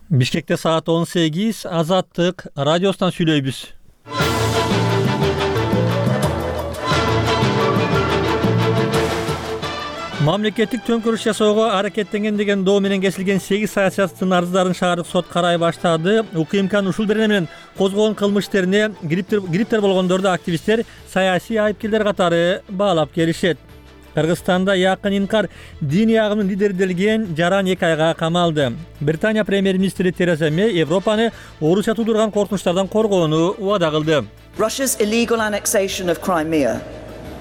Бишкекте саат 18, Азаттык радиосунан сүйлөйбүз. Мамлекеттик төңкөрүш жасоого аракеттенген деген доо менен кесилген 8 саясаттын арыздарын шаардык сот карай баштады. УКМКнын ушул берене менен козгогон кылмыш иштерине гриптер болгондорду активисттер саясий айыпкерлер катары баалап келишет. Кыргызстанда Якын Инкар диний агымдын лидери делген Жаран 2 айга камалды. Британия премьер-министри Тереза Мэй Европаны Орусия туудурган коркунучтардан коргоону убада кылды. Russia's illegal annexation of Crimea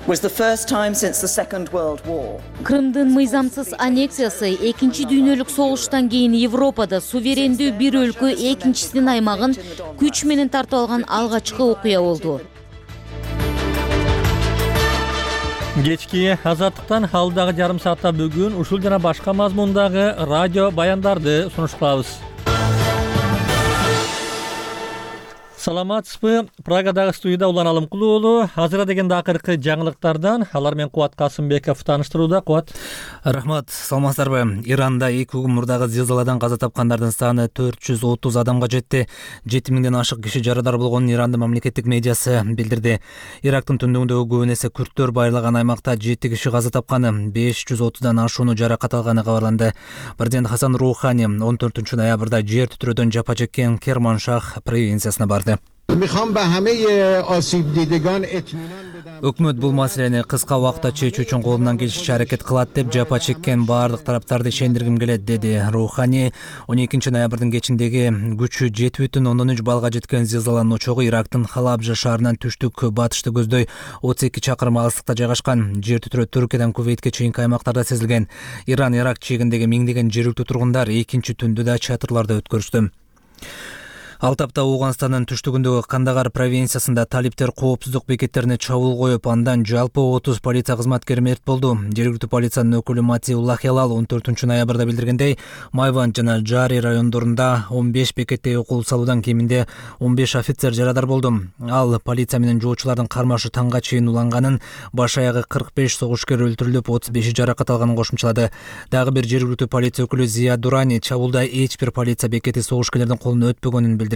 was the first time since the Second World War. Крымдын мыйзамсыз аннексиясы экинчи дүйнөлүк согуштан кийин Европада суверендүү бир өлкө экинчисинин аймагын күч менен тартып алган алгачкы окуя болду. Кечки Азаттыктан алдагы жарым саатта бүгүн ушул жана башка мазмундагы радио баяндарды сунуш кылабыз. Саламатсызбы? Прагадагы студияда Улан Алымкулуу уулу. Азыра дегенде акыркы жаңылыктардан алар менен Кубат Касымбеков тааныштырууда. Кубат. Рахмат, саламатсыздарбы? Иранда 2 күн мурдагы зилзаладан каза тапкандардын саны 430 адамга жетти. 7000ден ашык киши жарадар болгонун Ирандын мамлекеттик медиасы билдирди. Ирактын түндүгүндөгү көбүн эсе күрттөр байырлаган аймакта 7 киши каза тапканы, 530дан ашууну жаракат алганы кабарланды. Президент Хасан Рухани 14 ноябрда жер титирөөдөн жапа чеккен Керманшах провинциясына барды. Өкмөт бул маселени кыска убакытта чечүү үчүн колунан келишинче аракет кылат деп жапа чеккен баардык тараптарды ишендиргим келет, деди Рухани. 12 ноябрдын кечиндеги күчү 7,3 балга жеткен зилзаланын очогу Ирактын Халабжа шаарынан түштүк батышты көздөй 32 чакырым алыстыкта жайгашкан. Жер титирөө Түркиядан Кувейтке чейинки аймактарда сезилген. Иран Ирак чегиндеги миңдеген жергиликтүү тургундар экинчи түндү да чатырларда өткөрүштү. Ал тапта Ооганстандын түштүгүндөгү Кандагар провинциясында талиптер коопсуздук бекеттерине чабуул коюп, андан жалпы 30 полиция кызматкери мерт болду. Жергиликтүү полициянын өкүлү Матиулла Хелал 14 ноябрда билдиргендей, Майванд жана Жари райондорунда 15 бекетте окуу салуудан кеминде 15 офицер жарадар болду. Ал полиция менен жоочулардын кармашы таңга чейин уланганын, баш аягы 45 согушкер өлтүрүлүп, 35 жаракат алганын кошумчалады. Дагы бир жергиликтүү полиция өкүлү Зия Дурани чабуулда эч бир полиция бекети согушкерлердин колуна өтпөгөнүн билдирди.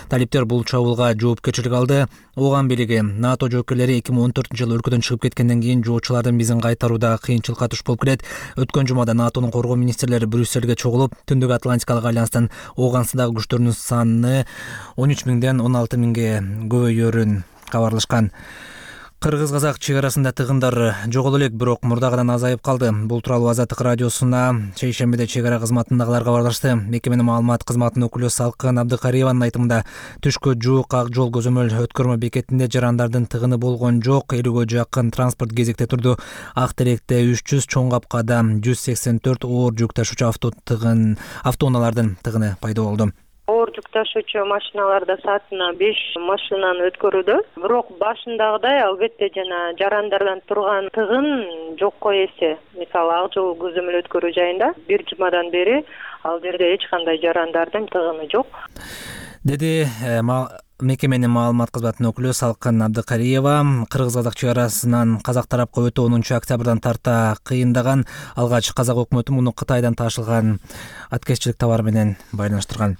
Талиптер бул чабуулга жоопкерчилик алды. Ооган бийлиги НАТО жоокерлери 2014-жылы өлкөдөн чыгып кеткенден кийин жоочулардын бизин кайтарууда кыйынчылыкка туш болуп келет. Өткөн жумада НАТОнун коргоо министрлери Брюссельге чогулуп, Түндүк Атлантикалык альянстын Ооганстандагы күчтөрүнүн саны 13.000ден 16.000ге көбөйөрүн кабарлашкан. Кыргыз-казак чек арасында тыгындар жогол элек, бирок мурдагыдан азайып калды. Бул тууралуу Азаттык радиосуна шейшембиде чек ара кызматындагылар кабарлашты. Мекеменин маалымат кызматынын өкүлү Салкын Абдыкариеванын айтымында, түшкө жуук ак жол көзөмөл өткөрмө бекетинде жарандардын тыгыны болгон жок. 50ге жакын транспорт кезекте турду. Ак Теректе 300, Чоң Капкада 184 оор жүк ташуучу автоунаалардын тыгыны пайда болду. Оор жүк ташуучу машиналарда саатына 5 машинаны өткөрүүдө. Бирок башындагыдай албетте жана жарандардан турган тыгын жокко эсе. Мисалы, ак жол көзөмөл өткөрүү жайында бир жумадан бери ал жерде эч кандай жарандардын тыгыны жок, деди мекеменин маалымат кызматынын өкүлү Салкын Абдыкариева. Кыргыз-казак чек арасынан казак тарапка өтүү 10 октябрдан тарта кыйындаган. Алгач казак өкмөтү муну Кытайдан ташылган аткезчилик товар менен байланыштырган.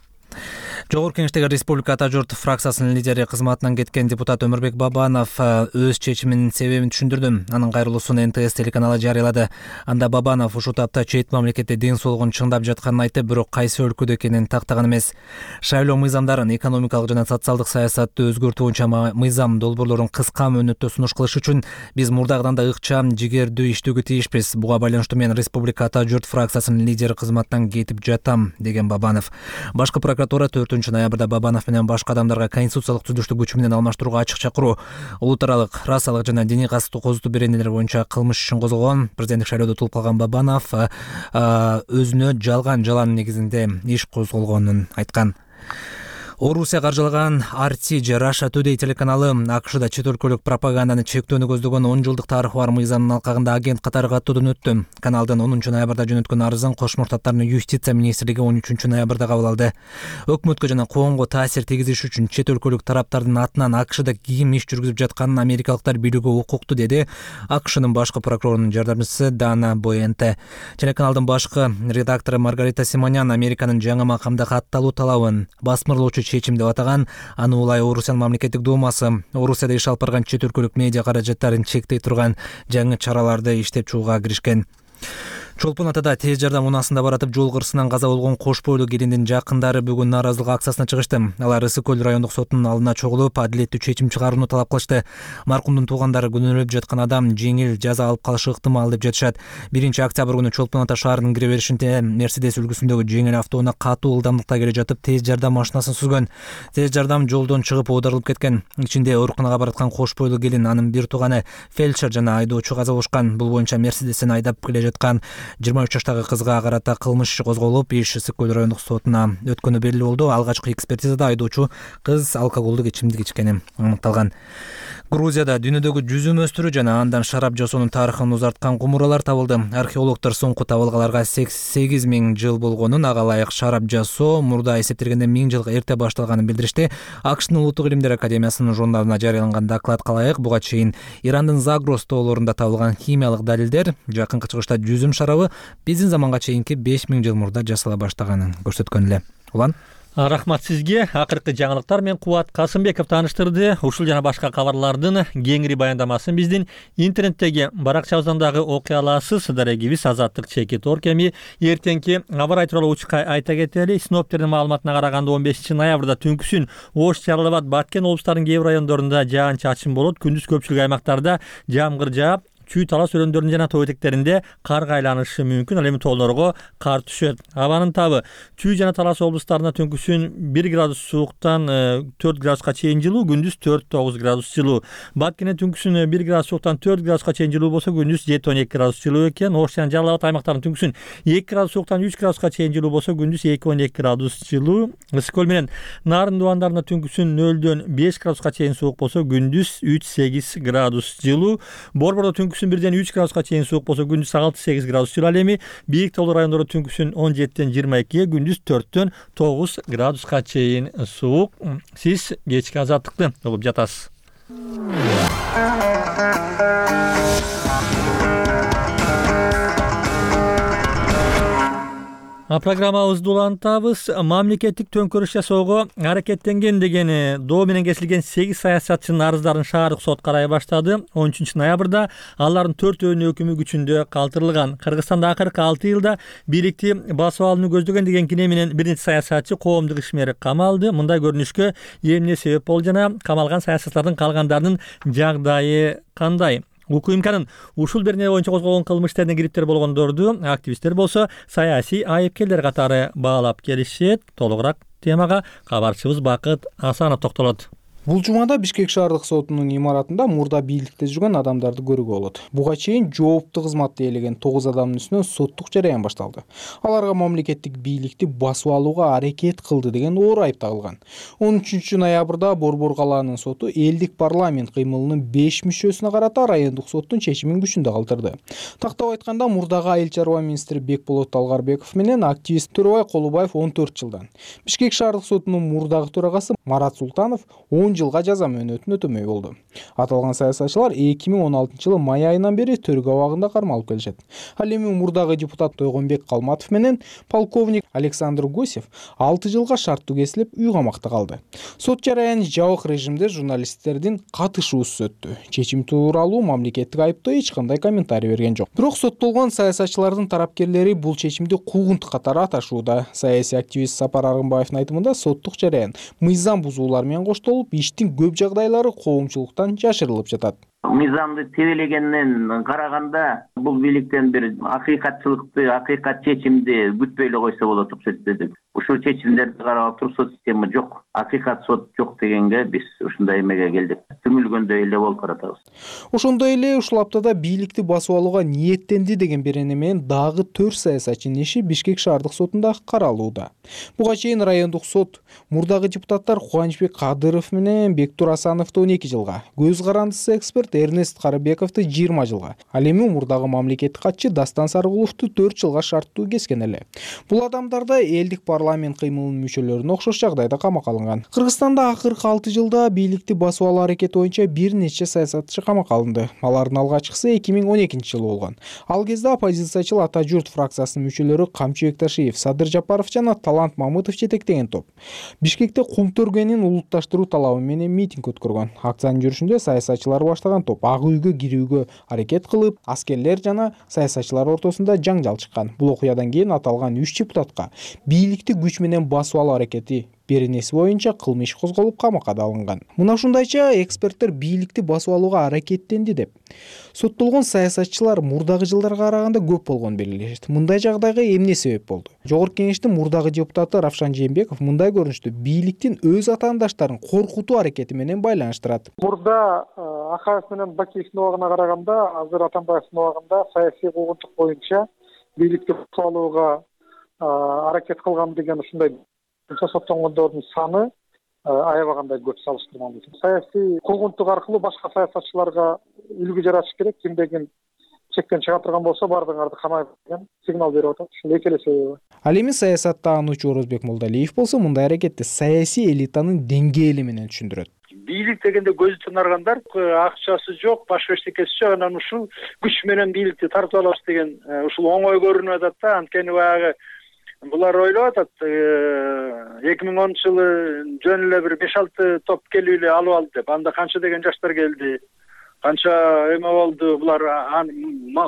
Жогорку Кеңештеги Республика Ата журт фракциясынын лидери кызматынан кеткен депутат Өмүрбек Бабанов өз чечиминин себебин түшүндүрдү. Анын кайрылуусун НТС телеканалы жарыялады. Анда Бабанов ушул тапта чет мамлекетте ден соолугун чыңдап жатканын айтып, бирок кайсы өлкөдө экенин тактаган эмес. Шайлоо мыйзамдарын, экономикалык жана социалдык саясатты өзгөртүү боюнча мыйзам долбоорлорун кыска мөөнөттө сунуш кылыш үчүн биз мурдагыдан да ыкчам, жигердүү иштөөгө тийишпиз. Буга байланыштуу мен Республика Ата журт фракциясынын лидери кызматынан кетип жатам, деген Бабанов. Башкы прокуратура 4 ноябрда Бабанов менен башка адамдарга конституциялык түзүлүштү күчү менен алмаштырууга ачык чакыруу, улут аралык, расалык жана диний касыптуу козутуу беренелер боюнча кылмыш ишин козгогон. Президенттик шайлоодо утулуп калган Бабанов өзүнө жалган жалан негизинде иш козголгонун айткан. Орусия каржылаган RT же Russia Today телеканалы АКШда чет өлкөлүк пропаганданы чектөөнү көздөгөн 10 жылдык тарыхы бар мыйзамдын алкагында агент катары каттоодон өттү. Каналдын 10 ноябрда жөнөткөн арызын Кош Муртаттардын юстиция министрлиги 13 ноябрда кабыл алды. Өкмөткө жана коомго таасир тийгизиш үчүн чет өлкөлүк тараптардын атынан АКШда ким иш жүргүзүп жатканын америкалыктар билүүгө укуктуу, деди АКШнын башкы прокурорунун жардамчысы Дана Боенте. Телеканалдын башкы редактору Маргарита Симонян Американын жаңы макамда катталуу талабын басмырлоочу чечим деп атаган. Аны улай Орусиянын мамлекеттик думасы Орусияда иш алып барган чет өлкөлүк медиа каражаттарын чектей турган жаңы чараларды иштеп чыгууга киришкен. Чолпон Атада тез жардам унаасында баратып жол кырсынан каза болгон кош бойлуу келиндин жакындары бүгүн нааразылык акциясына чыгышты. Алар Ысык көл райондук соттун алдына чогулуп, адилеттүү чечим чыгарууну талап кылышты. Маркумдун туугандары күнөөлөп жаткан адам жеңил жаза алып калышы ыктымал деп жатышат. 1-октябрь күнү Чолпон Ата шаарынын кире беришинде Мерседес үлгүсүндөгү жеңил автоунаа катуу ылдамдыкта келе жатып тез жардам машинасын сүзгөн. Тез жардам жолдон чыгып оодарылып кеткен. Ичинде ооруканага бараткан кош бойлуу келин, анын бир тууганы, фельдшер жана айдоочу каза болушкан. Бул боюнча Мерседестен айдап келе жаткан 23 жаштагы кызга карата кылмыш иши козголуп, иш Ысык көл райондук сотуна өткөнү белгилүү болду. Алгачкы экспертизада айдоочу кыз алкоголдук ичимдик ичкени аныкталган. Грузияда дүйнөдөгү жүзүм өстүрүү жана андан шарап жасоонун тарыхын узарткан кумуралар табылды. Археологдор соңку табылгаларга 8000 жыл болгонун, ага ылайык шарап жасоо мурда эсептелгенде 1000 жыл эрте башталганын билдиришти. АКШнын Улуттук илимдер академиясынын журналына жарыяланган докладка ылайык, буга чейин Ирандын Загрос тоолорунда табылган химиялык далилдер жакынкы чыгышта жүзүм шарабы биздин заманга чейинки 5000 жыл мурда жасала баштаганын көрсөткөн эле. Улан Рахмат сизге. Акыркы жаңылыктар менен Кубат Касымбеков тааныштырды. Ушул жана башка кабарлардын кеңири баяндамасын биздин интернеттеги баракчабыздан дагы окуй аласыз. Дарегибиз Азаттык /.org. Эми эртеңки аба ырайы тууралуу учка айта кетели. Синоптиктердин маалыматына караганда 15 ноябрда түнкүсүн Ош, Жалал-Абад, Баткен облустарынын кээ бир райондорунда жаан-чачын болот. Күндүз көпчүлүк аймактарда жамгыр жаап, чүй талас өрөөндөрүнүн жана тоо этектеринде карга айланышы мүмкүн. Ал эми тоолорго кар түшөт. Абанын табы чүй жана талас облустарына түнкүсүн 1 градус сууктан 4 градуска чейин жылуу, күндүз 4-9 градус жылуу. Баткенде түнкүсүн 1 градус сууктан 4 градуска чейин жылуу болсо, күндүз 7-12 градус жылуу экен. Ош жана Жалал-Абад аймактарынын түнкүсүн 2 градус сууктан 3 градуска чейин жылуу болсо, күндүз 2-12 градус жылуу. Ысык көл менен Нарын дубандарында түнкүсүн 0-дөн 5 градуска чейин суук болсо, күндүз 3-8 градус жылуу. Борбордо түнкүсүн 1-ден 3 градуска чейин суук болсо, күндүз 6-8 градус жылуу. Ал эми бийик тоолуу райондордо түнкүсүн 17-ден 22-ге, күндүз 4-дөн 9 градуска чейин суук. Сиз кечки азаттыкты угуп жатасыз. Программабызды улантабыз. Мамлекеттик төңкөрүш жасоого аракеттенген деген доо менен кесилген 8 саясатчынын арыздарын шаардык сот карай баштады. 13 ноябрда алардын 4-өөнүн өкүмү күчүндө калтырылган. Кыргызстанда акыркы 6 жылда бийликти басып алууну көздөгөн деген кине менен бир нече саясатчы, коомдук ишмер камалды. Мындай көрүнүшкө эмне себеп болду жана камалган саясатчылардын калгандарынын жагдайы кандай? УКМКнын ушул берне боюнча козголгон кылмыш иштерине кириптер болгондорду активисттер болсо саясий айыпкерлер катары баалап келишет. Толугураак темага кабарчыбыз Бакыт Асанов токтолот. Бул жумада Бишкек шаардык сотунун имаратында мурда бийликте жүргөн адамдарды көрүүгө болот. Буга чейин жооптуу кызматты ээлеген 9 адамдын үстүнөн соттук жараян башталды. Аларга мамлекеттик бийликти басып алууга аракет кылды деген оор айып тагылган. 13 ноябрда Борбор калаанын соту элдик парламент кыймылынын 5 мүчөсүнө карата райондук соттун чечимин күчүндө калтырды. Тактап айтканда, мурдагы айыл чарба министри Бекболот Талгарбеков менен активист Төрөбай Колубаев 14 жылдан, Бишкек шаардык сотунун мурдагы төрагасы Марат Султанов 10 жылга жаза мөөнөтүн өтөмөй болду. Аталган саясатчылар 2016 жылы май айынан бери төргө абагында кармалып келишет. Ал эми мурдагы депутат Тойгонбек Калматов менен полковник Александр Гусев 6 жылга шарттуу кесилип үй камакта калды. Сот жараяны жабык режимде журналисттердин катышуусуз өттү. Чечим тууралуу мамлекеттик айыптоо эч кандай комментарий берген жок. Бирок соттолгон саясатчылардын тарапкерлери бул чечимди куугунтук катары аташууда. Саясий активист Сапар Аргынбаевдин айтымында, соттук жараян мыйзам бузуулар менен коштолуп, иштин көп жагдайлары коомчулуктан жашырылып жатат. мыйзамды тебелегенден караганда бул бийликтен бир акыйкатчылыкты, акыйкат чечимди күтпөй эле койсо болот деп эсептедик. Ушул чечимдерди карап туруп сот система жок, акыйкат сот жок дегенге биз ушундай эмеге келдик. Түңүлгөндөй эле болуп каратабыз. Ошондой эле ушул аптада бийликти басып алууга ниеттенди деген берене менен дагы 4 саясатчынын иши Бишкек шаардык сотунда каралууда. Буга чейин райондук сот мурдагы депутаттар Кубанычбек Кадыров менен Бектур Асановду 12 жылга, көз карандысы эксперт Эрнест Карыбековду 20 жылга, ал эми мурдагы мамлекеттик катчы Дастан Сарыгуловду 4 жылга шарттуу кескен эле. Бул адамдар да элдик парламент кыймылынын мүчөлөрүнө окшош жагдайда камакка алынган. Кыргызстанда акыркы 6 жылда бийликти басып алуу аракети боюнча бир нече саясатчы камакка алынды. Алардын алгачкысы 2012 жылы болгон. Ал кезде оппозициячыл Ата журт фракциясынын мүчөлөрү Камчы Бекташиев, Садыр Жапаров жана Талант Мамытов жетектеген топ Бишкекте кум төргөнүн улутташтыруу талабы менен митинг өткөргөн. Акциянын жүрүшүндө саясатчылар баштаган топ ак үйгө кирүүгө аракет кылып, аскерлер жана саясатчылар ортосунда жаңжал чыккан. Бул окуядан кийин аталган 3 депутатка бийликти күч менен басып алуу аракети беренеси боюнча кылмыш иш козголуп камакка алынган. Мына ушундайча эксперттер бийликти басып алууга аракеттенди деп. Соттолгон саясатчылар мурдагы жылдарга караганда көп болгонун белгилешет. Мындай жагдайга эмне себеп болду? Жогорку кеңештин мурдагы депутаты Равшан Жээнбеков мындай көрүнүштү бийликтин өз атаандаштарын коркутуу аракети менен байланыштырат. Мурда Акаев менен Бакиевдин убагына караганда, азыр Атамбаевдин убагында саясий куугунтук боюнча бийликти басып алууга аракет кылган деген ушундай соттонгондордун саны аябагандай көп салыштырмалуу. Саясий куугунтук аркылуу башка саясатчыларга үлгү жаратыш керек. Кимде ким чектен чыга турган болсо бардыгыңарды камайт деген сигнал берип атат. Ушул эки эле себеби. Ал эми саясатта анучу Орозбек Молдалиев болсо мындай аракетти саясий элитанын деңгээли менен түшүндүрөт. Бийлик дегенде көзү тынаргандар акчасы жок, баш бештекеси жок, анан ушул күч менен бийликти тартып алабыз деген ушул оңой көрүнүп атат да. Анткени баягы булар ойлоп атат 2010 жылы жөн эле бир 5-6 топ келип эле алып алды деп. Анда канча деген жаштар келди, канча эме болду, булар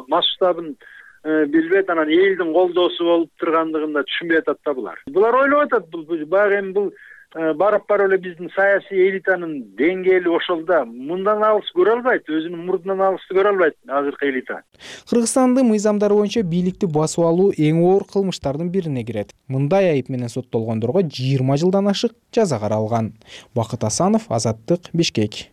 масштабын билбейт, анан элдин колдоосу болуп тургандыгын да түшүнбөй атат да булар. Булар ойлоп атат баягы эми бул барып эле биздин саясий элитанын деңгээли ошол да. Мындан алыс көрө албайт, өзүнүн мурдунан алысты көрө албайт азыркы элита. Кыргызстандын мыйзамдары боюнча бийликти басып алуу эң оор кылмыштардын бирине кирет. Мындай айып менен соттолгондорго 20 жылдан ашык жаза каралган. Бакыт Асанов, Азаттык, Бишкек.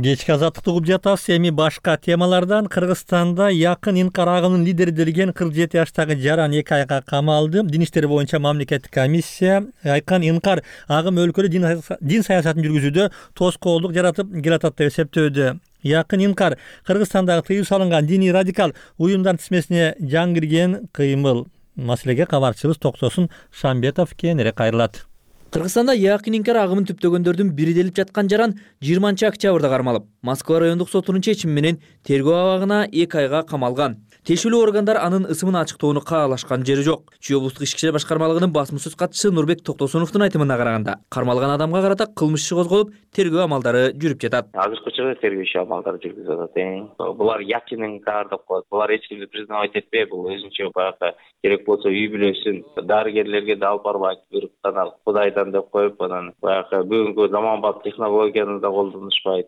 Кечки азаттыкты угуп жатабыз. Эми башка темалардан Кыргызстанда якын инкар агымынын лидери делген 47 жаштагы жаран 2 айга камалды. Дин иштери боюнча мамлекеттик комиссия айткан инкар агым өлкөдө дин саясатын жүргүзүүдө тоскоолдук жаратып келатат деп эсептөөдө. Якын инкар Кыргызстандагы тыюу салынган диний радикал уюмдар тизмесине жаңы кирген кыймыл. Маселеге кабарчыбыз Токтосун Шамбетов кийинирээк кайрылат. Кыргызстанда якын инкар агымын түптөгөндөрдүн бири делип жаткан жаран 20-октябрда кармалып, Москва райондук сотунун чечими менен тергөө абагына 2 айга камалган. Тиешелүү органдар анын ысымын ачыктоону каалашкан жери жок. Чүй облустук ички иштер башкармалыгынын басмасөз катчысы Нурбек Токтосуновдун айтымына караганда, кармалган адамга карата кылмыш иши козголуп, тергөө амалдары жүрүп жатат. Азыркы учурда тергөө иши амалдары жүрүп жатат. Булар якын инкар деп коет. Булар эч кимди признавать этпей, бул өзүнчө баягы керек болсо үй бүлөсүн дарыгерлерге да алып барбайт, бирок Кудайдан деп коюп, анан баягы бүгүнкү заманбап технологияны да колдонушпайт.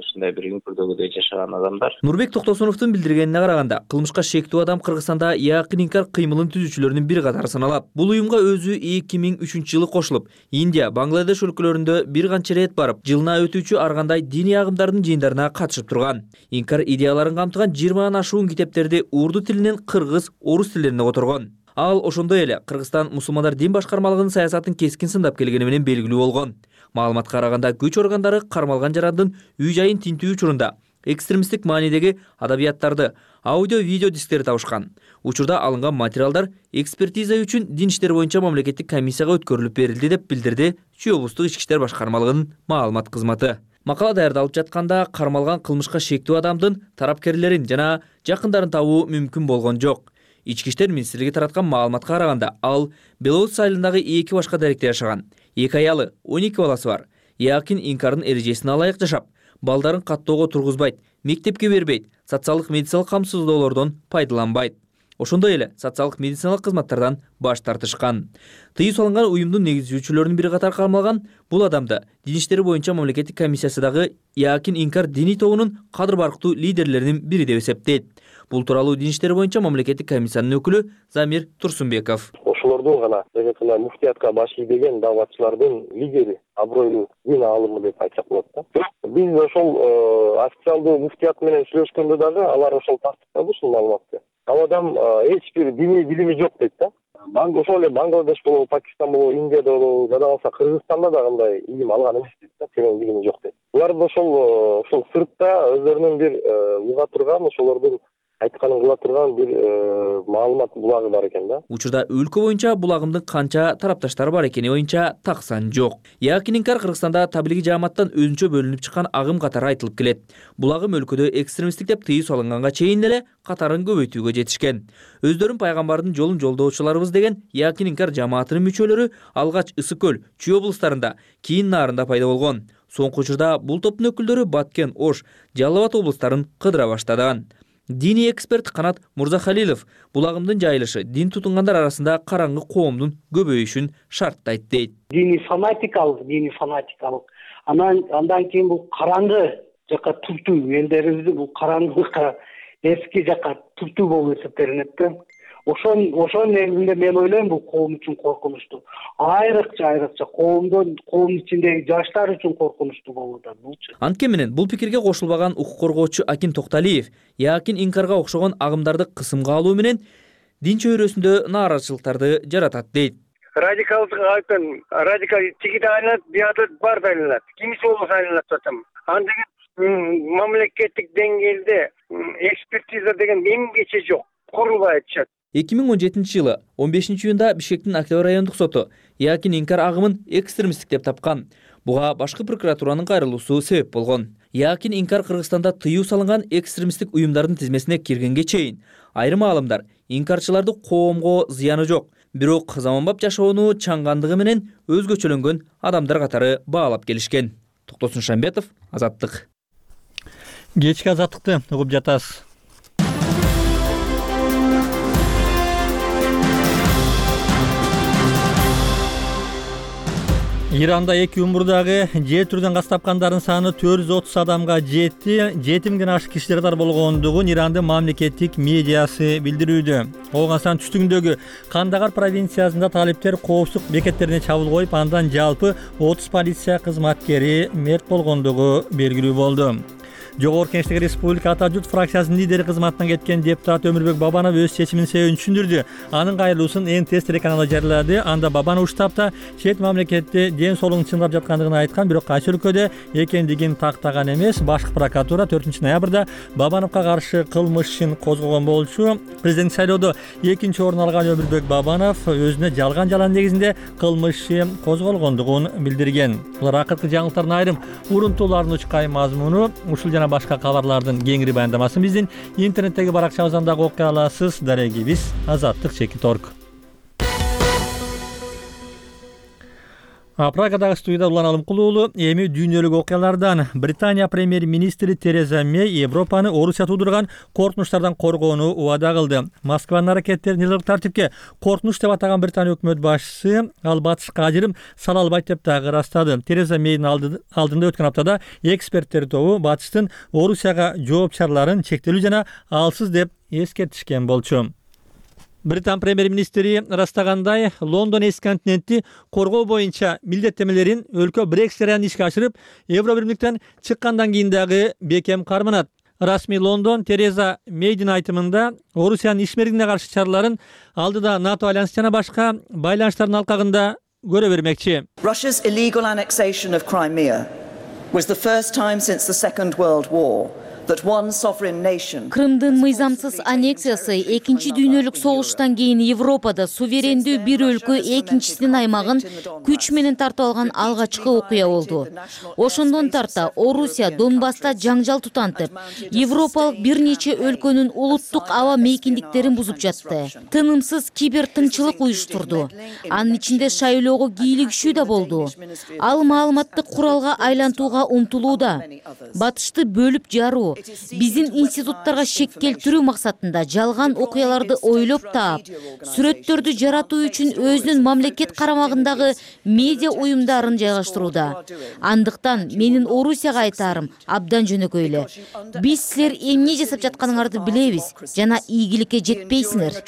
Ушундай бир үңкүрдөгүдөй жашаган адамдар. Нурбек Токтосуновдун билдиргенине караганда, кылмышка шектүү адам Кыргызстанда якын инкар кыймылын түзүүчүлөрүнүн бири катары саналат. Бул уюмга өзү 2003 жылы кошулуп, Индия, Бангладеш өлкөлөрүндө бир канча рет барып, жылына өтүүчү ар кандай диний агымдардын жыйындарына катышып турган. Инкар идеяларын камтыган 20 ашуун китептерди урду тилинен кыргыз, орус тилдерине которгон. Ал ошондой эле Кыргызстан мусулмандар дин башкармалыгынын саясатын кескин сындап келгени менен белгилүү болгон. Маалыматка караганда, күч органдары кармалган жарандын үй жайын тинтүү учурунда экстремисттик маанидеги адабияттарды, аудио-видео дисктери табышкан. Учурда алынган материалдар экспертиза үчүн дин иштери боюнча мамлекеттик комиссияга өткөрүлүп берилди деп билдирди Чүй облустук ички иштер башкармалыгынын маалымат кызматы. Макала даярдалып жатканда кармалган кылмышка шектүү адамдын тарапкерлерин жана жакындарын табуу мүмкүн болгон жок. Ички иштер министрлиги тараткан маалыматка караганда, ал Белорусь айылындагы 2 башка даректе жашаган. 2 аялы, 12 баласы бар. Якын инкардын эрежесине ылайык жашап, балдарын каттоого тургузбайт, мектепке бербейт, социалдык медициналык камсыздоолордон пайдаланбайт. ошондой эле социалдык медициналык кызматтардан баш тартышкан. Тыюу салынган уюмдун негизчүлөрүнүн бири катары кармалган бул адамды Дин иштери боюнча мамлекеттик комиссиясы дагы Якин Инкар диний тобунун кадыр барктуу лидерлеринин бири деп эсептейт. Бул тууралуу Дин иштери боюнча мамлекеттик комиссиянын өкүлү Замир Турсунбеков. Ошолордун гана муфтиятка баш ийбеген дааватчылардын лидери, абройлуу дин аалымы деп айтсак болот да. Биз ошол официалдуу муфтият менен сүйлөшкөндө дагы алар ошол тастыктады ушул маалыматты. Ал адам эч бир диний билими жок дейт да. Ошол эле Бангладеш болобу, Пакистан болобу, Индияда болобу, жада калса Кыргызстанда да кандай илим алган эмес дейт да, терең билими жок дейт. Булар ошол сыртта өздөрүнүн бир уга турган, ошолордун айтканын кыла турган бир маалымат булагы бар экен да. Учурда өлкө боюнча булагымдын канча тарапташтары бар экени боюнча так сан жок. Якин Инкар Кыргызстанда таблиги жааматтан өзүнчө бөлүнүп чыккан агым катары айтылып келет. Булагым өлкөдө экстремисттик деп тыюу салынганга чейин эле катарын көбөйтүүгө жетишкен. Өздөрүн пайгамбардын жолун жолдоочуларыбыз деген Якин Инкар жамаатынын мүчөлөрү алгач Ысык көл, Чүй облустарында, кийин Наарында пайда болгон. Соңку учурда бул топтун өкүлдөрү Баткен, Ош, Жалал Абад облустарын кыдыра баштаган. Диний эксперт Канат Мурзахалилов булагымдын жайылышы дин тутунгандар арасында караңгы коомдун көбөйүшүн шарттайт дейт. Диний фанатикалык. Андан кийин бул караңгы жака туртуу элдерибизди бул караңгылыкка эски жака туртуу болуп эсептелинет да. Ошонун негизинде мен ойлойм бул коом үчүн коркунучтуу. Айрыкча коомдун ичиндеги жаштар үчүн коркунучтуу болууда булчу. Антке менен бул пикирге кошулбаган укук коргоочу Аким Токталиев Якин Инкарга окшогон агымдарды кысымга алуу менен дин чөйрөсүндө нааразычылыктарды жаратат дейт. Радикал тигиде айланат, бияда бар да айланат. Кимиси болбосо айланат атам. Андыгы мамлекеттик деңгээлде экспертиза деген эмгече жок. Курулбай атышат. 2017 15 июнда Бишкектин Октябрь райондук соту Якин Инкар агымын экстремисттик деп тапкан. Буга башкы прокуратуранын кайрылуусу себеп болгон. Якин Инкар Кыргызстанда тыюу салынган экстремисттик уюмдардын тизмесине киргенге чейин айрым аалымдар инкарчыларды коомго зыяны жок, бирок заманбап жашоону чаңгандыгы менен өзгөчөлөнгөн адамдар катары баалап келишкен. Токтосун Шамбетов, Азаттык. Кечки Азаттыкты угуп жатасыз. Иранда 2 умурдагы жер түрдөн газ тапкандардын саны 430 адамга жетти. 7000ден ашык кишилер бар болгондугун Ирандын мамлекеттик медиасы билдирүүдө. Ооган түштүгүндөгү Кандагар провинциясында талиптер коопсуздук бекеттерине чабуул коюп, андан жалпы 30 полиция кызматкери мерт болгондугу белгилүү болду. Жогорку Кеңештеги Республика Ата журт фракциясынын лидери кызматынан кеткен депутат Өмүрбек Бабанов өз чечиминин себебин түшүндүрдү. Анын кайрылуусун НТС телеканалы жарыялады. Анда Бабанов уштапта чет мамлекетте ден соолугун чыңдап жаткандыгын айткан, бирок кайсы өлкөдө экендигин тактаган эмес. Башкы прокуратура 4 ноябрда Бабановго каршы кылмыш ишин козгогон болчу. Президент шайлоодо 2-чи орун алган Өмүрбек Бабанов өзүнө жалган негизинде кылмыш иши козголгондугун билдирген. Булар акыркы жаңылыктардын айрым урунтууларынын учкай мазмуну. Ушул жана башка кабарлардын кеңири баяндамасын биздин интернеттеги баракчабыздан дагы окуй аласыз. Дарегибиз Азаттык.org. Прагадагы студияда Улан Алымкулуу. Эми дүйнөлүк окуялардан Британия премьер-министри Тереза Мэй Европаны Орусия туудурган коркунучтардан коргоону убада кылды. Москванын аракеттерин элдик тартипке коркунуч деп атаган Британия өкмөт башчысы ал батышка ажырым сала албайт деп дагы ырастады. Тереза Мэйдин алдында өткөн аптада эксперттер тобу батыштын Орусияга жооп чараларын чектелүү жана алсыз деп эскертишкен болчу. Британ премьер-министри ырастагандай, Лондон эски континентти коргоо боюнча милдеттемелерин өлкө Брексит жарыянын ишке ашырып, Евробиримдиктен чыккандан кийин дагы бекем карманат. Расмий Лондон Тереза Мэйдин айтымында Орусиянын ишмердигине каршы чараларын алдыда НАТО альянсы жана башка байланыштардын алкагында көрө бермекчи. Russia's illegal annexation of Crimea was the first time since the Second World War that one sovereign nation. Крымдын мыйзамсыз аннексиясы 2-чи дүйнөлүк согуштан кийин Европада суверендүү бир өлкө экинчисинин аймагын күч менен тартып алган алгачкы окуя болду. Ошондон тарта Орусия Донбасста жаңжал тутантып, Европалык бир нече өлкөнүн улуттук аба мейкиндиктерин бузуп жатты. Тынымсыз кибер тынчылык уюштурду. Анын ичинде шайлоого кийлигишүү да болду. Ал маалыматты куралга айлантууга умтулууда. Батышты бөлүп жаруу, биздин институттарга шек келтирүү максатында жалган окуяларды ойлоп таап, сүрөттөрдү жаратуу үчүн өзүнүн мамлекет карамагындагы медиа уюмдарын жайгаштырууда. Андыктан менин Орусияга айтаарым абдан жөнөкөй эле. Биз силер эмне жасап жатканыңарды билебиз жана ийгиликке жетпейсиңер.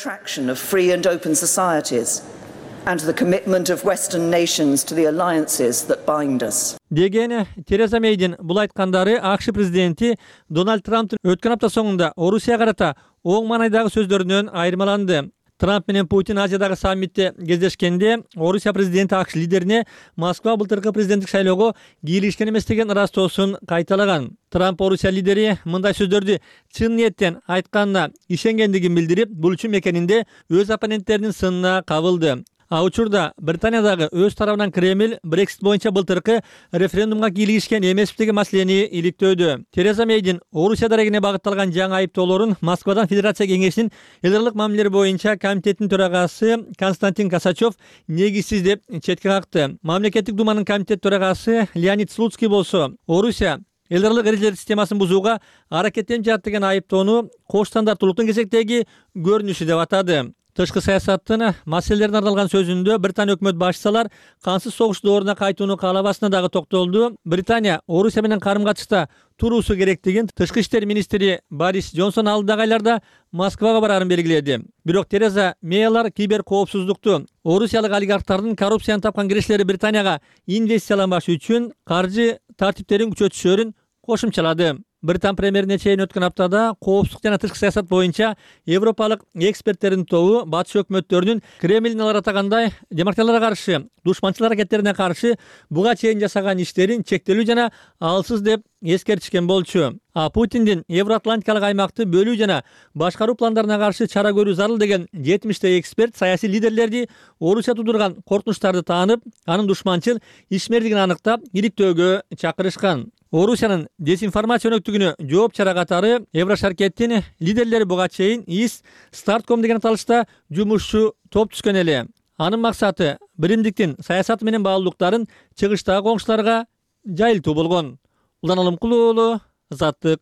And the commitment of Western nations to the alliances that bind us. Деген Тереза Мейдин бул айткандары АКШ президенти Дональд Трамптын өткөн апта соңунда Орусияга карата оң маанайдагы сөздөрүнөн айырмаланды. Трамп менен Путин Азиядагы саммитте кездешкенде Орусия президенти АКШ лидерине Москва былтыркы президенттик шайлоого кийлигишкен эмес деген ырастоосун кайталаган. Трамп Орусия лидери мындай сөздөрдү чын ниеттен айтканына ишенгендигин билдирип, бул үчүн мекенинде өз оппоненттеринин сынына кабылды. А учурда Британиядагы өз тарабынан Кремль Брексит боюнча былтыркы референдумга кийлигишкен эмеспи деген маселени иликтөөдө. Тереза Мейдин Орусия дарегине багытталган жаңы айыптоолорун Москвадан Федерация кеңешинин эл аралык мамилелер боюнча комитетинин төрагасы Константин Косачев негизсиз деп четке какты. Мамлекеттик думанын комитет төрагасы Леонид Слуцкий болсо Орусия эл аралык эрежелер системасын бузууга аракеттенип жатат деген айыптоону кош стандарттуулуктун кезектеги көрүнүшү деп атады. Тышкы саясаттын маселелерине арналган сөзүндө Британия өкмөт башчылар кансыз согуш дооруна кайтууну каалабасына дагы токтолду. Британия Орусия менен карым-катышта туруусу керектигин тышкы иштер министри Борис Джонсон алдыдагы айларда Москвага бараарын белгиледи. Бирок Тереза Мейлар кибер коопсуздукту, орусиялык олигархтардын коррупцияны тапкан киришleri Британияга инвестицияланбаш үчүн каржы тартиптерин күчөтүшөрүн кошумчалады. Британ премьерине чейин өткөн аптада коопсуздук жана тышкы саясат боюнча европалык эксперттердин тобу батыш өкмөттөрүнүн Кремлдин алар атагандай демократияларга каршы, душманчылык аракеттерине каршы буга чейин жасаган иштерин чектелүү жана алсыз деп эскертишкен болчу. А Путиндин Евроатлантикалык аймакты бөлүү жана башкаруу пландарына каршы чара көрүү зарыл деген 70 эксперт саясий лидерлерди Орусия тудурган коркунучтарды таанып, анын душманчыл ишмердигин аныктап, иликтөөгө чакырышкан. Орусиянын дезинформация өнөктүгүнө жооп чара катары Еврошаркеттин лидерлери буга чейин ИС Стартком деген аталышта жумушчу топ түзгөн эле. Анын максаты биримдиктин саясаты менен баалуулуктарын чыгыштагы коңшуларга жайылтуу болгон. Улан Алымкул уулу, Азаттык.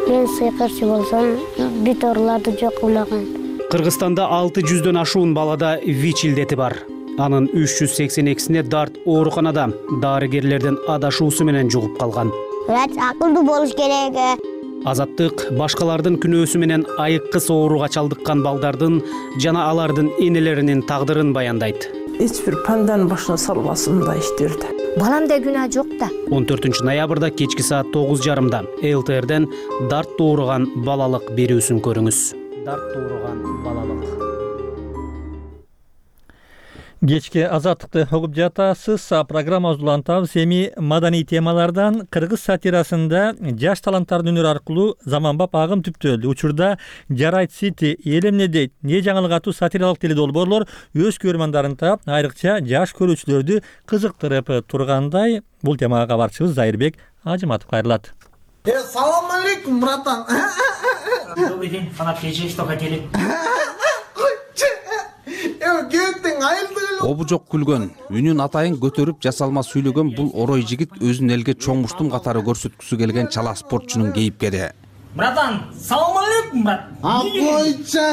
Мен сыйкырчы болсом, бүт ооруларды жок кылмаган. Кыргызстанда 600дөн ашуун балада ВИЧ илдети бар. Анын 382-сине дарт ооруканада дарыгерлердин адашуусу менен жугуп калган. Врач акылдуу болуш керек. Азаттык башкалардын күнөөсү менен айыккыс ооруга чалдыккан балдардын жана алардын энелеринин тагдырын баяндайт. Эч бир панданын башына салбасын мындай иштерди. Баламда күнөө жок да. 14 ноябрда кечки саат 9:30 ЛТРден дарт ооруган балалык берүүсүн көрүңүз. Дарт ооруган балалык. Кечки Азаттыкты угуп жатасыз. Программабызды улантабыз. Эми маданий темалардан кыргыз сатирасында жаш таланттардын өнөрү аркылуу заманбап агым түптөлдү. Учурда Жарайт Сити, эл эмне дейт, не жаңылык аттуу сатиралык теледолбоорлор өз көрөрмандарын таап, айрыкча жаш көрүүчүлөрдү кызыктырып тургандай. Бул темага кабарчыбыз Зайырбек Ажыматов кайрылат. Салам алейкум, братан. Добрый день, фанат КЖ, что хотели? Обужок күлгөн, үнүн атайын көтөрүп жасалма сүйлөгөн бул орой жигит өзүн элге чоң муштум катары көрсөткүсү келген чала спортчунун кейипкери. Братан, салам алейкум, брат. Койча,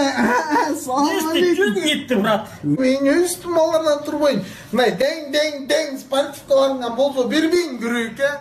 салам алейкум. Жүз кетти, брат. Мен үстүм алардан турбойм. Мына дең спортивкаларыңан болсо бербейин күрөккө.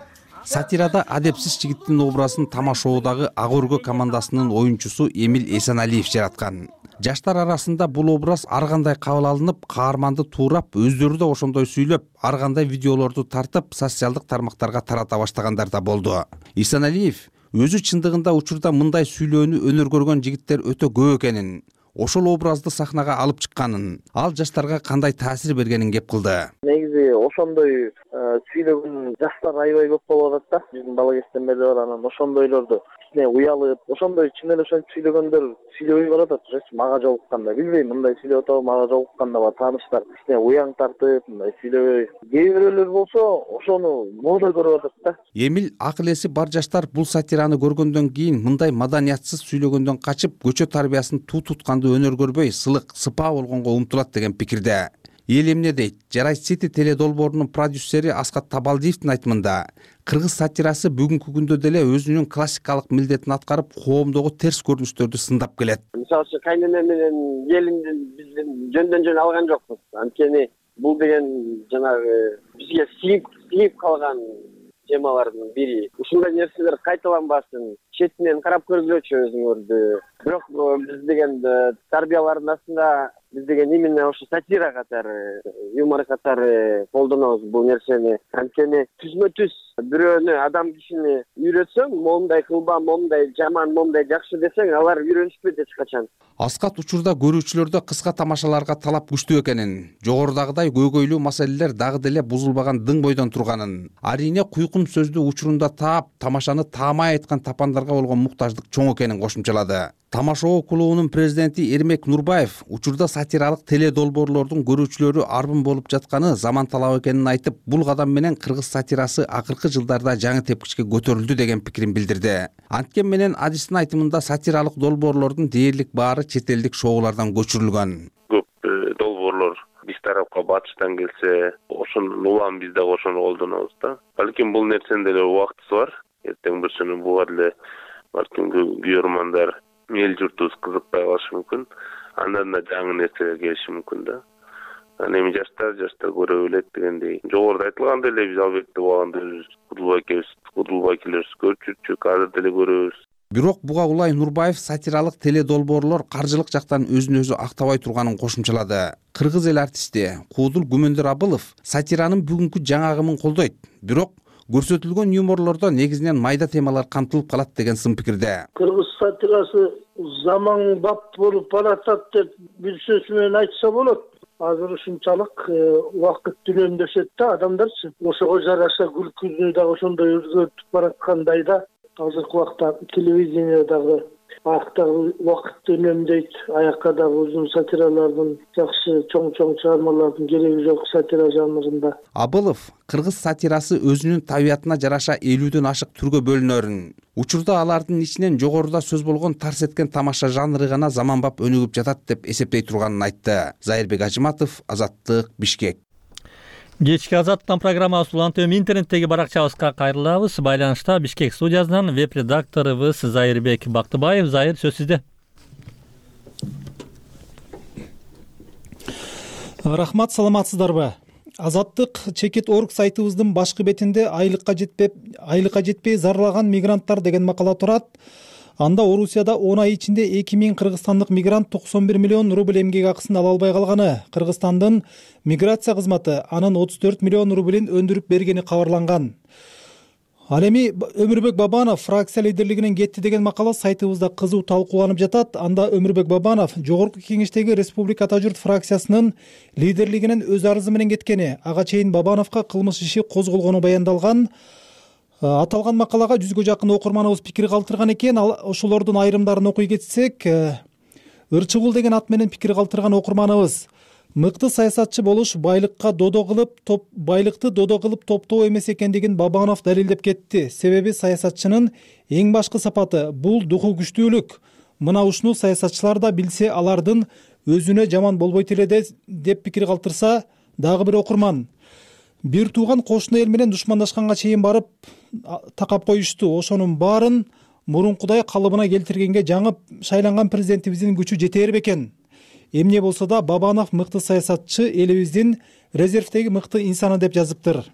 Сатирада адепсиз жигиттин образын Тамашоодагы Ак өргө командасынын оюнчусу Эмил Эсеналиев жараткан. Жаштар арасында бул образ ар кандай кабыл алынып, каарманды туурап, өздөрү да ошондой сүйлөп, ар кандай видеолорду тартып, социалдык тармактарга тарата баштагандар да болду. Эсеналиев өзү чындыгында учурда мындай сүйлөөнү өнөр көргөн жигиттер өтө көп экенин, ошол образды сахнага алып чыкканын, ал жаштарга кандай таасир бергенин кеп кылды. Негизи ошондой сүйлөгөн жаштар аябай көп болуп атат да. Биздин бала кезден бери бар, анан ошондойлорду кичине уялып, ошондой чын эле ошентип сүйлөгөндөр сүйлөбөй баратат. Мага жолукканда, билбейм, мындай сүйлөп атабы, мага жолукканда бар тааныштар кичине уяң тартып, мындай сүйлөбөй. Кээ бирөөлөр болсо ошону мода көрүп атат да. Эмил акыл эси бар жаштар бул сатираны көргөндөн кийин мындай маданиятсыз сүйлөгөндөн качып, көчө тарбиясын туу тутканды өнөр көрбөй, сылык, сыпаа болгонго умтулат деген пикирде. эл эмне дейт? Жарай City теле долбоорунун продюсери Аскат Табалдиевдин айтымында, кыргыз сатирасы бүгүнкү күндө деле өзүнүн классикалык милдетин аткарып, коомдогу терс көрүнүштөрдү сындап келет. Мисалы үчүн кайнене менен келинди биздин жөндөн жөн алган жокпуз. Анткени бул деген жанагы бизге сиңип калган темалардын бири. Ушундай нерселер кайталанбасын, четинен карап көргүлөчү өзүңөрдү. Бирок биз деген тарбиялардын астында биз деген именно ошо сатира катары, юмор катары колдонобуз бул нерсени. Анткени түзмө-түз бирөөнү, адам кишини үйрөтсөң, момундай кылба, момундай жаман, момундай жакшы десең, алар үйрөнүшпөйт эч качан. Аскат учурда көрүүчүлөрдө кыска тамашаларга талап күчтүү экенин, жогорудагыдай көйгөйлүү маселелер дагы деле бузулбаган дың бойдон турганын, арийне куйкун сөздү учурунда таап, тамашаны таамай айткан тапандарга болгон муктаждык чоң экенин кошумчалады. Тамашоо клубунун президенти Эрмек Нурбаев учурда сатиралык теле долбоорлордун көрүүчүлөрү арбын болуп жатканы заман талабы экенин айтып, бул кадам менен кыргыз сатирасы акыркы жылдарда жаңы тепкичке көтөрүлдү деген пикирин билдирди. Анткени менен адистин айтымында сатиралык долбоорлордун дээрлик баары чет элдик шоулардан көчүрүлгөн. Көп долбоорлор биз тарапка батыштан келсе, ошонун улам биз дагы ошону колдонобуз да. Балким бул нерсенин деле убактысы бар. Эртең бир күнү буга деле балким көрөрмандар эл журтубуз кызыкпай калышы мүмкүн. Андан да жаңы нерселер келиши мүмкүн да. Анан эми жаштар көрө билет дегендей. Жогоруда айтылгандай эле биз албетте убагында Кудулбай көрчүрчүк, азыр деле көрөбүз. Бирок буга улай Нурбаев сатиралык теле долбоорлор каржылык жактан өзүн өзү актабай турганын кошумчалады. Кыргыз эл артисти Куудул Гүмөндөр Абылов сатиранын бүгүнкү жаңагымын колдойт. Бирок көрсөтүлгөн юморлордо негизинен майда темалар камтылып калат деген сын пикирде. Кыргыз сатирасы заманбап болуп баратат деп бир сөз менен айтса болот. Азыр ушунчалык убакыт дүнөмдөшөт да адамдарчы. Ошого жараша күлкүнү дагы ошондой өзгөртүп бараткандай да. Азыркы убакта телевидение дагы аяктагы убакытты үнөмдөйт, аякка дагы узун сатиралардын, жакшы чоң чыгармалардын кереги жок сатира жанрында. Абылов кыргыз сатирасы өзүнүн табиятына жараша 50дөн ашык түргө бөлүнөрүн, учурда алардын ичинен жогоруда сөз болгон тарс эткен тамаша жанры гана заманбап өнүгүп жатат деп эсептей турганын айтты. Зайырбек Ажыматов, Азаттык, Бишкек. Кечки Азаттан программабыз улантып интернеттеги баракчабызга кайрылабыз. Байланышта Бишкек студиясынан веб-редакторубуз Зайырбек Бактыбаев. Зайыр, сөз сизде. Рахмат, саламатсыздарбы? Азаттык Чекит.org сайтыбыздын башкы бетинде айлыкка жетпей зарлаган мигранттар деген макала турат. Анда Орусияда 10 ай ичинде 2000 кыргызстандык мигрант 91 миллион рубль эмгек акысын ала албай калганы, Кыргызстандын миграция кызматы анын 34 миллион рублин өндүрүп бергени кабарланган. Ал эми Өмүрбек Бабанов фракция лидерлигинен кетти деген макала сайтыбызда кызуу талкууланып жатат. Анда Өмүрбек Бабанов Жогорку Кеңештеги Республика Ата журт фракциясынын лидерлигинен өз арызы менен кеткени, ага чейин Бабановго кылмыш иши козголгону баяндалган. Аталган макалага 100гө жакын окурманыбыз пикир калтырган экен. Ошолордун айрымдарын окуй кетсек, Ырчыбул деген ат менен пикир калтырган окурманыбыз: мыкты саясатчы болуш байлыкты додо кылып топтоо эмес экендигин Бабанов далилдеп кетти. Себеби саясатчынын эң башкы сапаты бул духу күчтүүлүк. Мына ушуну саясатчылар да билсе, алардын өзүнө жаман болбойт эле деп пикир калтырса дагы бир окурман: бир тууган кошуна эл менен душмандашканга чейин барып такап коюшту. Ошонун баарын мурункудай калыбына келтиргенге жаңы шайланган президентибиздин күчү жетер бекен. Эмне болсо да Бабанов мыкты саясатчы, элибиздин резервдеги мыкты инсаны деп жазыптыр.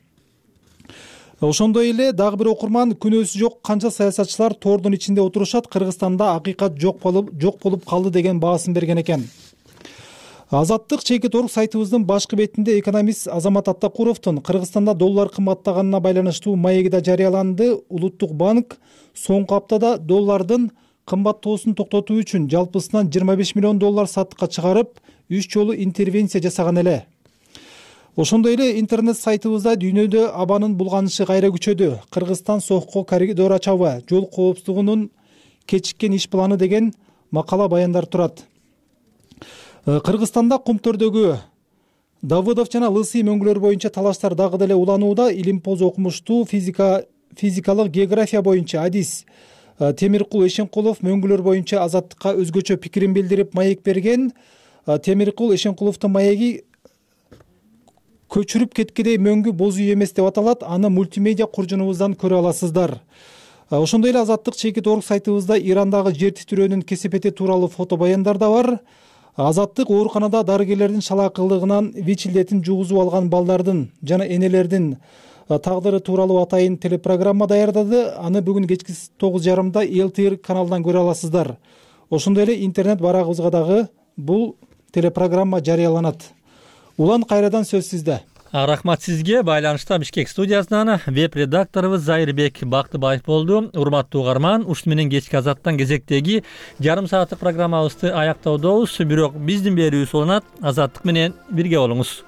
Ошондой эле дагы бир окурман: күнөөсү жок канча саясатчылар тордун ичинде отурушат, Кыргызстанда акыйкат жок болуп калды деген баасын берген экен. Азаттык Чекит.org сайтыбыздын башкы бетинде экономист Азамат Аттакуровдун Кыргызстанда доллар кымбаттаганына байланыштуу маеги да жарыяланды. Улуттук банк соңку аптада доллардын кымбаттоосун токтотуу үчүн жалпысынан 25 миллион доллар саттыкка чыгарып, 3 жолу интервенция жасаган эле. Ошондой эле интернет сайтыбызда дүйнөдө абанын булганышы кайра күчөдү. Кыргызстан сокко коридор ачабы, жол коопсуздугунун кечиккен иш планы деген макала баяндар турат. Кыргызстанда кумтөрдөгү Давыдов жана Лысый мөңгүлөр боюнча талаштар дагы деле уланууда. Илимпоз окумуштуу физикалык география боюнча адис Темиркул Эшенкулов мөңгүлөр боюнча Азаттыкка өзгөчө пикирин билдирип маек берген. Темиркул Эшенкуловдун маеги көчүрүп кеткидей мөңгү боз үй эмес деп аталат. Аны мультимедиа куржунубуздан көрө аласыздар. Ошондой эле Азаттык чекит.org сайтыбызда Ирандагы жер титирөөнүн кесепети тууралуу фото баяндар да бар. Азаттык ооруканада дарыгерлердин шалаакылыгынан ВИЧ илдетин жугузуп алган балдардын жана энелердин тагдыры тууралуу атайын телепрограмма даярдады. Аны бүгүн кечки 9:30 ЛТР каналынан көрө аласыздар. Ошондой эле интернет барагыбызга дагы бул телепрограмма жарыяланат. Улан, кайрадан сөз сизде. Рахмат сизге. Байланышта Бишкек студиясынан веб-редакторубуз Зайырбек Бактыбаев болду. Урматтуу угарман, ушуну менен кечки Азаттан кезектеги жарым сааттык программабызды аяктоодобуз. Бирок биздин берүүбүз уланат. Азаттык менен бирге болуңуз.